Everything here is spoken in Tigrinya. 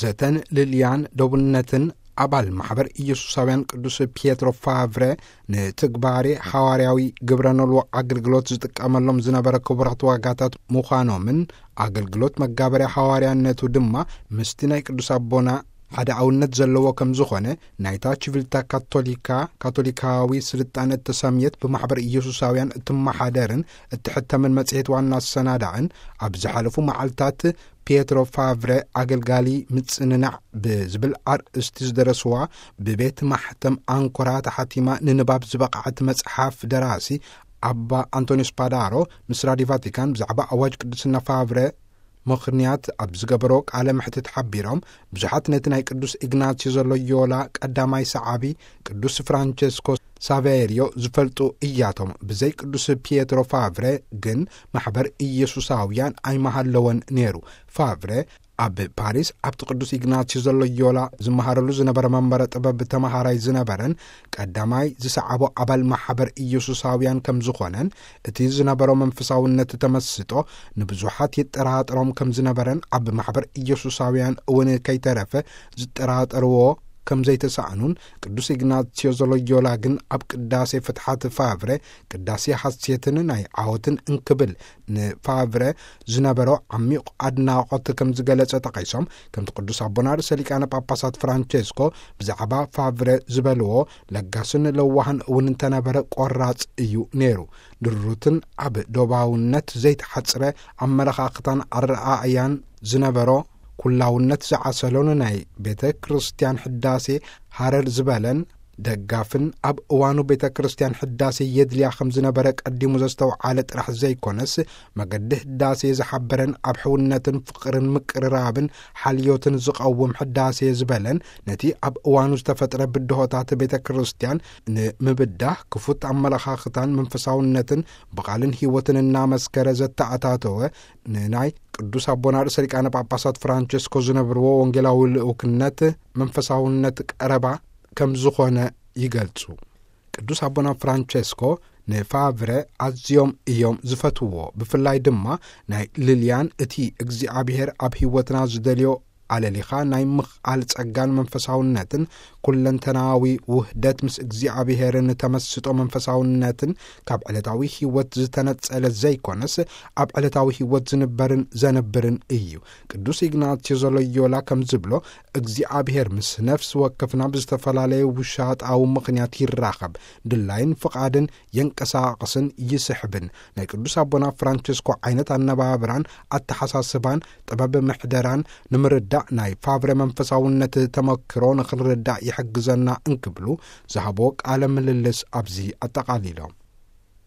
ዘተን ልልያን ደቡነትን ኣባል ማሕበር ኢየሱሳውያን ቅዱስ ፒየትሮ ፋቭረ ንትግባሬ ሓዋርያዊ ግብረ ኖልዎ ኣገልግሎት ዝጥቀመሎም ዝነበረ ክቡራት ዋጋታት ምዃኖምን ኣገልግሎት መጋበርያ ሓዋርያነቱ ድማ ምስቲ ናይ ቅዱስ ኣቦና ሓደ ኣውነት ዘለዎ ከም ዝኾነ ናይታ ቺቪልታ ካቶሊካ፣ ካቶሊካዊ ስልጣነ እተሰምየት ብማሕበር ኢየሱሳውያን እትመሓደርን እትሕተምን መጽሔት ዋና ኣሰናዳእን ኣብ ዝሓለፉ መዓልታት ፒየትሮ ፋቭረ ኣገልጋሊ ምጽንናዕ ብዝብል ኣርእስቲ ዝደረስዋ ብቤት ማሕተም ኣንኮራ ተሓቲማ ንንባብ ዝበቕዐት መጽሓፍ ደራሲ ኣባ ኣንቶኒዮስ ፓዳሮ ምስ ራዲዮ ቫቲካን ብዛዕባ ኣዋጅ ቅድስና ፋቭረ ምኽንያት ኣብ ዝገበሮ ቃለ መሕትት ሓቢሮም፣ ብዙሓት ነቲ ናይ ቅዱስ ኢግናትዮ ዘሎዮላ ቀዳማይ ሰዓቢ ቅዱስ ፍራንቸስኮ ሳቬሪዮ ዝፈልጡ እያቶም። ብዘይ ቅዱስ ፒየትሮ ፋቭረ ግን ማሕበር ኢየሱሳውያን ኣይመሃለወን ነይሩ። ፋቭረ ኣብ ፓሪስ ኣብቲ ቅዱስ ኢግናትዮ ዘሎዮላ ዝመሃረሉ ዝነበረ መንበረ ጥበብ ተመሃራይ ዝነበረን ቀዳማይ ዝሰዓቦ ኣባል ማሕበር ኢየሱሳውያን ከም ዝኾነን፣ እቲ ዝነበሮ መንፈሳውነት ተመስጦ ንብዙሓት ይጠራጠሮም ከም ዝነበረን፣ ኣብ ማሕበር ኢየሱሳውያን እውን ከይተረፈ ዝጠራጠርዎ ከም ዘይተሳእኑን፣ ቅዱስ ኢግናትዮ ዘሎዮላ ግን ኣብ ቅዳሴ ፍትሓት ፋቭረ ቅዳሴ ሓሴትን ናይ ዓወትን እንክብል ንፋቭረ ዝነበሮ ዓሚቕ ኣድናቖት ከም ዝገለጸ ጠቒሶም፣ ከምቲ ቅዱስ ኣቦና ርእሰ ሊቃነ ጳጳሳት ፍራንቼስኮ ብዛዕባ ፋቭረ ዝበልዎ፣ ለጋስን ለዋህን እውን እንተነበረ ቆራጽ እዩ ነይሩ። ድሩትን ኣብ ዶባውነት ዘይተሓጽረ ኣመለኻኽታን ኣረኣእያን ዝነበሮ፣ ኩላውነት ዝዓሰሎን ናይ ቤተ ክርስቲያን ሕዳሴ ሃረር ዝበለን ደጋፍን፣ ኣብ እዋኑ ቤተ ክርስቲያን ሕዳሴ የድልያ ከም ዝነበረ ቀዲሙ ዘስተውዓለ ጥራሕ ዘይኮነስ፣ መገዲ ሕዳሴ ዝሓበረን ኣብ ሕውነትን ፍቕርን ምቅርራብን ሓልዮትን ዝቐውም ሕዳሴ ዝበለን፣ ነቲ ኣብ እዋኑ ዝተፈጥረ ብድሆታት ቤተ ክርስቲያን ንምብዳህ ክፉት ኣመለኻኽታን መንፈሳውነትን ብቓልን ህይወትን እናመስከረ ዘተኣታተወ፣ ንናይ ቅዱስ ኣቦና ርእሰ ሊቃነ ጳጳሳት ፍራንቸስኮ ዝነብርዎ ወንጌላዊ ልኡክነት መንፈሳውነት ቀረባ ከም ዝኾነ ይገልጹ። ቅዱስ ኣቦና ፍራንቸስኮ ንፋቭረ ኣዝዮም እዮም ዝፈትውዎ። ብፍላይ ድማ ናይ ልልያን፣ እቲ እግዚኣብሔር ኣብ ህይወትና ዝደልዮ ኣለሊኻ ናይ ምኽኣል ጸጋን መንፈሳውነትን፣ ኩለንተናዊ ውህደት ምስ እግዚኣብሔርን ተመስጦ መንፈሳውነትን፣ ካብ ዕለታዊ ህይወት ዝተነጸለ ዘይኮነስ፣ ኣብ ዕለታዊ ህይወት ዝንበርን ዘንብርን እዩ። ቅዱስ ኢግናትዮ ዘሎዮላ ከም ዝብሎ፣ እግዚኣብሔር ምስ ነፍሲ ወከፍና ብዝተፈላለየ ውሻጣዊ ምኽንያት ይራኸብ፣ ድላይን ፍቓድን የንቀሳቕስን ይስሕብን። ናይ ቅዱስ ኣቦና ፍራንቸስኮ ዓይነት ኣነባብራን ኣተሓሳስባን ጥበብ ምሕደራን ንምርዳእ፣ ናይ ፋቭረ መንፈሳውነት ተመክሮ ንኽንርዳእ ይሕግዘና እንክብሉ ዝሃቦ ቃለ ምልልስ ኣብዚ ኣጠቓሊሎም።